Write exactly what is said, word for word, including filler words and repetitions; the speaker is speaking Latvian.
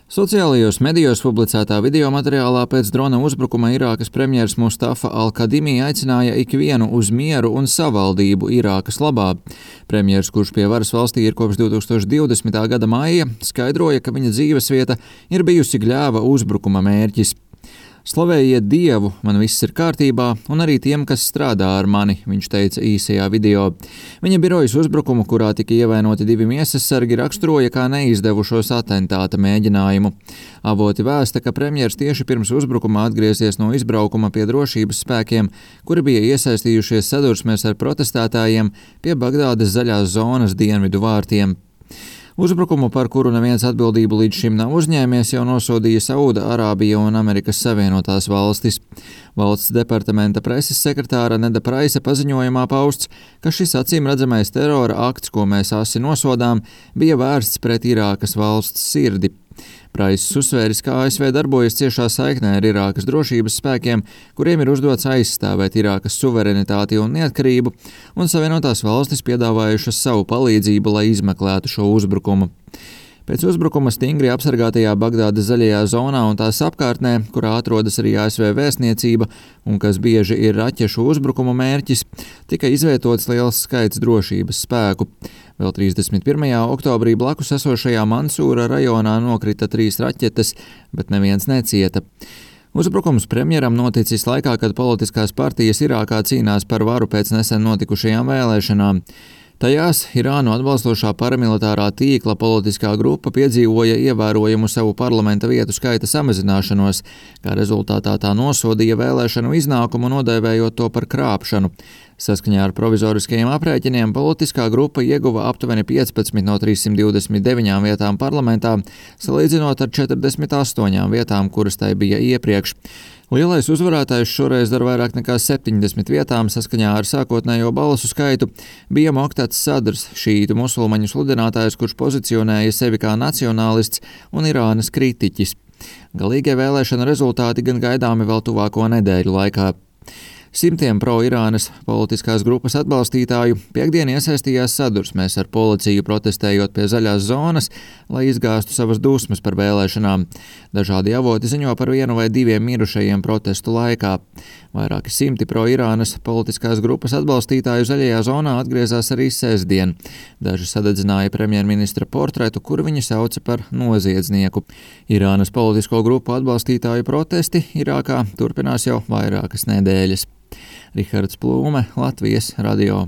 Sociālajos medijos publicētā video materiālā pēc drona uzbrukuma Irākas premjers Mustafa Al-Kadimi aicināja ikvienu uz mieru un savaldību Irākas labā. Premjers, kurš pie varas valstī ir kopš divi tūkstoši divdesmitā gada maija, skaidroja, ka viņa dzīvesvieta ir bijusi Gļēva uzbrukuma mērķis. Slavējiet Dievu, man viss ir kārtībā, un arī tiem, kas strādā ar mani, viņš teica īsajā video. Viņa birojas uzbrukumu, kurā tika ievainoti divi miesasargi, raksturoja kā neizdevušos atentāta mēģinājumu. Avoti vēsta, ka premjers tieši pirms uzbrukuma atgriezies no izbraukuma pie drošības spēkiem, kuri bija iesaistījušies sadursmēs ar protestētājiem pie Bagdādes zaļās zonas dienvidu vārtiem. Uzbrukumu, par kuru neviens atbildību līdz šim nav uzņēmies, jau nosodīja Sauda Arābija un Amerikas Savienotās valstis. Valsts departamenta preses sekretāra Neda Praisa paziņojumā pausts, ka šis acīmredzamais terora akts, ko mēs asi nosodām, bija vērsts pret Irākas valsts sirdi. Praiss uzsvēris, ka A S V darbojas ciešā saiknē ar Irākas drošības spēkiem, kuriem ir uzdots aizstāvēt Irākas suverenitāti un neatkarību, un Savienotās valstis piedāvājušas savu palīdzību, lai izmeklētu šo uzbrukumu. Pēc uzbrukuma stingri apsargātajā Bagdādes zaļajā zonā un tās apkārtnē, kurā atrodas arī A S V vēstniecība un kas bieži ir raķešu uzbrukumu mērķis, tika izvietots liels skaits drošības spēku. Vēl trīsdesmit pirmajā oktobrī blakus esošajā Mansūra rajonā nokrita trīs raķetes, bet neviens necieta. Uzbrukums premjeram noticis laikā, kad politiskās partijas Irākā cīnās par varu pēc nesen notikušajām vēlēšanām. Tajās Irānu atbalstošā paramilitārā tīkla politiskā grupa piedzīvoja ievērojumu savu parlamenta vietu skaita samazināšanos, kā rezultātā tā nosodīja vēlēšanu iznākumu, nodēvējot to par krāpšanu. Saskaņā ar provizoriskajiem aprēķiniem politiskā grupa ieguva aptuveni piecpadsmit no trīssimt divdesmit deviņām vietām parlamentā, salīdzinot ar četrdesmit astoņām vietām, kuras tai bija iepriekš. Lielais uzvarētājs šoreiz ar vairāk nekā septiņdesmit vietām saskaņā ar sākotnējo balsu skaitu bija Moktads Sadrs, šītu musulmaņu sludinātājs, kurš pozicionēja sevi kā nacionālists un Irānas kritiķis. Galīgie vēlēšana rezultāti gan gaidāmi vēl tuvāko nedēļu laikā. Simtiem pro-Irānas politiskās grupas atbalstītāju piekdien iesaistījās sadursmēs ar policiju, protestējot pie zaļās zonas, lai izgāstu savas dusmas par vēlēšanām. Dažādi avoti ziņo par vienu vai diviem mirušajiem protestu laikā. Vairāki simti pro-Irānas politiskās grupas atbalstītāju zaļajā zonā atgriezās arī sestdien. Daži sadedzināja premjerministra portretu, kuru viņi sauca par noziedznieku. Irānas politisko grupu atbalstītāju protesti Irākā turpinās jau vairākas nedēļas. Rihards Plūme, Latvijas radio.